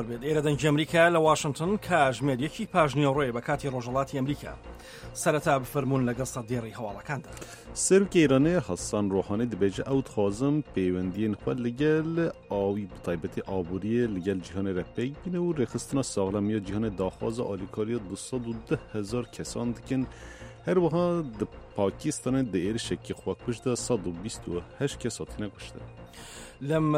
بێت ئێرە دەنگی ئەمریکا لە واشنتن کاژمێر یەکی پاژنیەڕۆیە بە کاتی ڕۆژەڵاتی ئەمریکا سەرەتا بفەرمونون لەگەڵ سەردێڕی هەواڵەکاندا. سەرۆکی ئێرانێ حەسەن ڕۆحانی دبێژە ئەو دخوازم پەیوەندیên خwe لەگەل ئاوی bi taybetî aboriyê li gel cîhanê re pêk bîne û rêxistina saxlemiya cîhanê daxwaza alîkariya 210 hezar kesan dikin. Her wiha di Pakistanê di êrişekî xwekuj de 128 kes hatine kuştin. لەم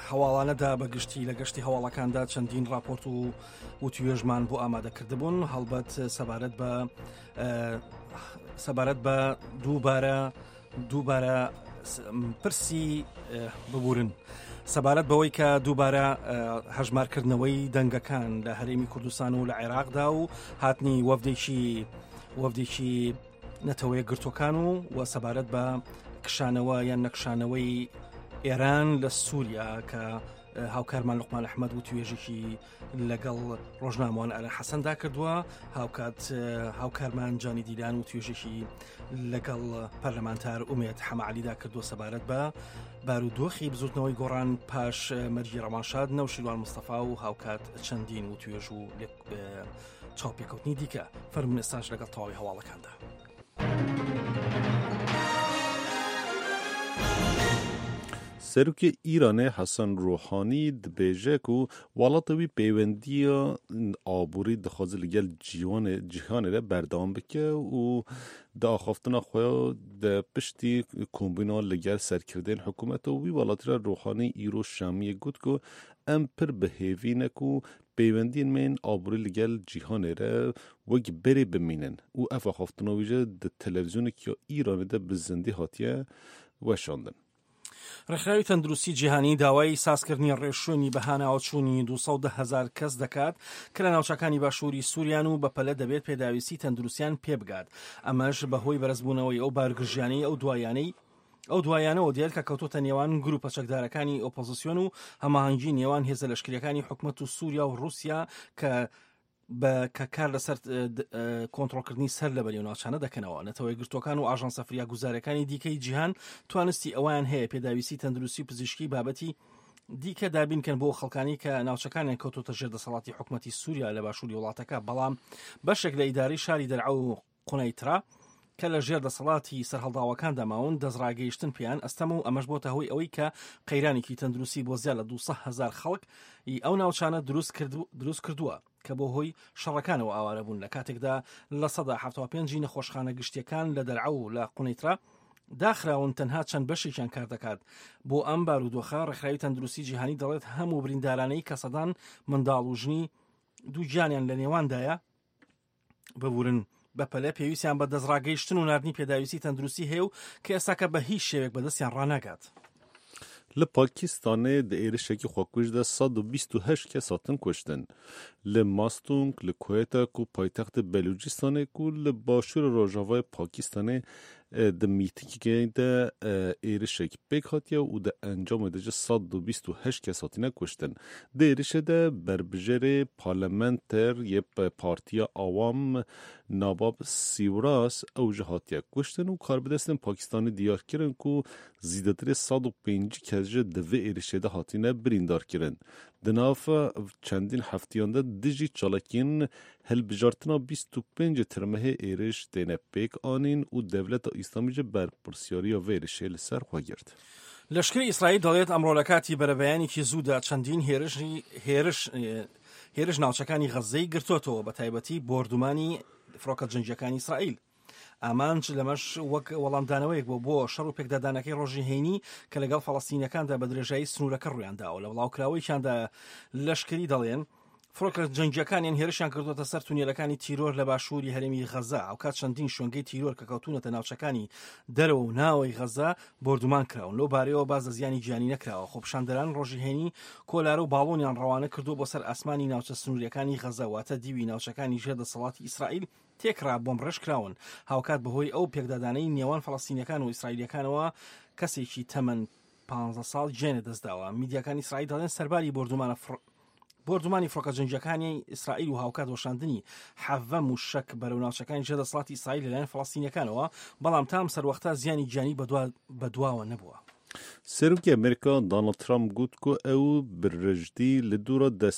هەواڵانەدا بە گشتی لە گەشتی هەواڵەکاندا چەندین راپۆرت و وتوێژمان بۆ ئامادەکردبوون هەڵبەت سەبارەت بە سەبارەت بە دووبارە دووبارە پرسی ببورن سەبارەت بەوەی کە دووبارە هەژمارکردنەوەی دەنگەکان لە هەرێمی کوردستان و لە عێراقدا و هاتنی وەفدێکی وەفدێکی نەتەوەیەکگرتووەکان و و سەبارەت بە کشانەوە یان نەکشانەوەی ئێران لە سووریا کە هاوکارمان لوقمان ئەحمەد و توێژێکی لەگەڵ ڕۆژنامەوان ئارا حەسەندا کردووە هاوکات هاوکارمان جانی دیلان و توێژێکی لەگەڵ پەرلەمانتار ئومێت حەمەعالیدا کردووە سەبارەت بە بارودۆخی بزوتنەوەی گۆڕان پاش مەرگی ڕەوانشاد نەوشیروان مستەفا و هاوکات چەندین و توێژ و چاوپێکەوتنی دیکە فەرمونون ئێستاش لەگەڵ تەواوی هەواڵەکاندا. Serokê Îranê Hesen Ruhanî dibêje ku welatê wî pêwendiya aborî dixwaze li gel cîwanê cîhanê re berdewam bike û di axaftina xwe de piştî kombîna li gel serkirdeyên hikûmeta wî welatî re Ruhanî îro Şamiyê got ku em pir bi hêvî ne ku Pêwendiyên me yên aborî li gel cîhanê re wek berê bimînin û ev axaftina wî jî di televîzyoneke ya Îranê de bi zindî hatiye weşandin. ڕێکخراوی تەندروستی جیهانی داوای سازکردنی ڕێوشوێنی بەهاناوەچوونی 210 هەزار کەس دەکات کە لە ناوچەکانی باشووری سووریان و بەپەلە دەبێت پێداویستی تەندروستیان پێبگات، ئەمەش بەهۆی بەرزبوونەوەی ئەو بارگرژیانەی ئەو دواییانەی ئەو دوایانەوە دێت کە کەوتۆتە نێوان گروپە چەکدارەکانی ئۆپۆزسیۆن و هەماهەنگی نێوان هێزە لەشکریەکانی حکومەت و سووریا و رووسیا کە بە کە کار لەسەر کۆنترۆڵکردنی سەر لە بەری و ناوچانە دەکەنەوە. نەتەوە یەکگرتووەکان و ئاژانسە فریاگوزارەکانی دیکەی جیهان توانستی ئەوەیان هەیە پێداویستی تەندروستی و پزیشکی بابەتی دیکە دابینکەن بۆ خەڵکانی کە ناوچەکانیان کەوتۆتە ژێر دەسەڵاتی حکومەتی سووریا لە باشووری وڵاتەکە، بەڵام بەشێک لە ئیدارەی شاری دەرعە و قونەیترا کە لە ژێر دەسەڵاتی سەرهەڵداوەکاندا ماون، دەستڕاگەیشتن پێیان ئەستەمە و ئەمەش بۆتە هۆی ئەوەی کە قەیرانێکی تەندروستی بۆ زیاد لە 200 هەزار خەڵک ی ئەو ناوچانە دروست کردووە کە بۆ هۆی شەڕەکانەوە ئاوارە بوون، لە کاتێکدا 75% ی نەخۆشخانە گشتییەکان لە دەرعا و لە قونەیترا داخراون، تەنها چەند بەشێکیان کار دەکات. بۆ ئەم بارودۆخە ڕێکخراوی تەندروستی جیهانی دەڵێت هەموو بریندارانەی کە سەدان منداڵ و ژنی دووگیانیان لە نێواندایە، ببورن بەپەلە پێویستیان بە دەستڕاگەیشتن و ناردنی پێداویستی تەندروستی هەیە و کە ئێستاکە بە هیچ شێوێک بەدەستیان ڕاناگات. Li Pakistanê di êrişekî xwekuj de 128 kes hatin kuştin. Li Mastung, li Quetta ku paytextê Belûcistanê ku li başûrê rojavayê Pakistanê Di mîtîngê de êrişek pêk hatiye û di encamê de jî 128 kes hatine kuştin. Di êrişê de berbijêrê parlamenter yê Partiya Awam Nabab Sîwras ew jî hatiye kuştin û karbidestên Pakistanî diyar kirin ku zîdetirê 150 kes jî di vê êrişê de hatine birîndarkirin. Di nav çendîn hefteyan de dijî çalakiyên Hilbijartina 25 Tirmehê êriş têne pêk anîn û Dewleta Îslamî jî berpirsyariya vê êrişê li ser xwe girt. لەشکری ئیسرائیل دەڵێت ئەمڕۆ لە کاتی بەرەبەیانێکی زوودا چەندین هێرشی هێرش هێرش ناوچەکانی غەززەی گرتۆتەوە بە تایبەتی بۆردومانی فڕۆکە جەنگییەکانی ئیسرائیل. ئامانج لەمەش وەک وەڵامدانەوەیەک بوو بۆ شەڕ و پێکدادانەکەی ڕۆژی هەینی کە لەگەڵ فەڵەستینەکاندا بە درێژایی سنوورەکە ڕوویانداوە. لە بڵاوکراوەیەکیاندا لەشکری دەڵێن، فڕۆکە جەنگییەکانیان هێرشیان کردووەتە سەر تونێلەکانی تیرۆر لە باشووری هەرێمی غەزە، هاوکات چەندین شوێنگەی تیرۆر کە کەوتوونەتە ناوچەکانی دەرەوە و ناوەی غەزە بۆردومان کراون. لەو بارەیەوە باس لە زیانی گیانی نەکراوە. خۆپیشاندەران ڕۆژی هەینی کۆلارە و باڵۆنیان ڕەوانە کردووە بۆ سەر ئاسمانی ناوچە سنوورییەکانی غەزە، واتە دیوی ناوچەکانی ژێر دەسەڵاتی ئیسرائیل تێکڕا بۆمبڕێژکراون. هاوکات بەهۆی ئەو پێکدادانەی نێوان فەڵەستینییەکان و ئیسرائیلییەکانەوە کەسێکی تەمەن 15 ساڵ گیانی لەدەستداوە. میدیاکانی ئیسرائیل دەڵێن سەرباری بۆردومانە فڕ بۆردومانی فڕۆکە جەنگییەکانی ئیسرائیل و هاوکات وەشاندنی حەڤە مووشەک بەرەو ناوچەکانی ژێر دەسەڵاتی ئیسرائیل لەلایەن فەڵەستینییەکانەوە، بەڵام تا ئەم سەروەختە زیانی گیانی بەدواوە نەبووە. Serokê Amerîka Donald Trump got ku ew bi rijdî li dora.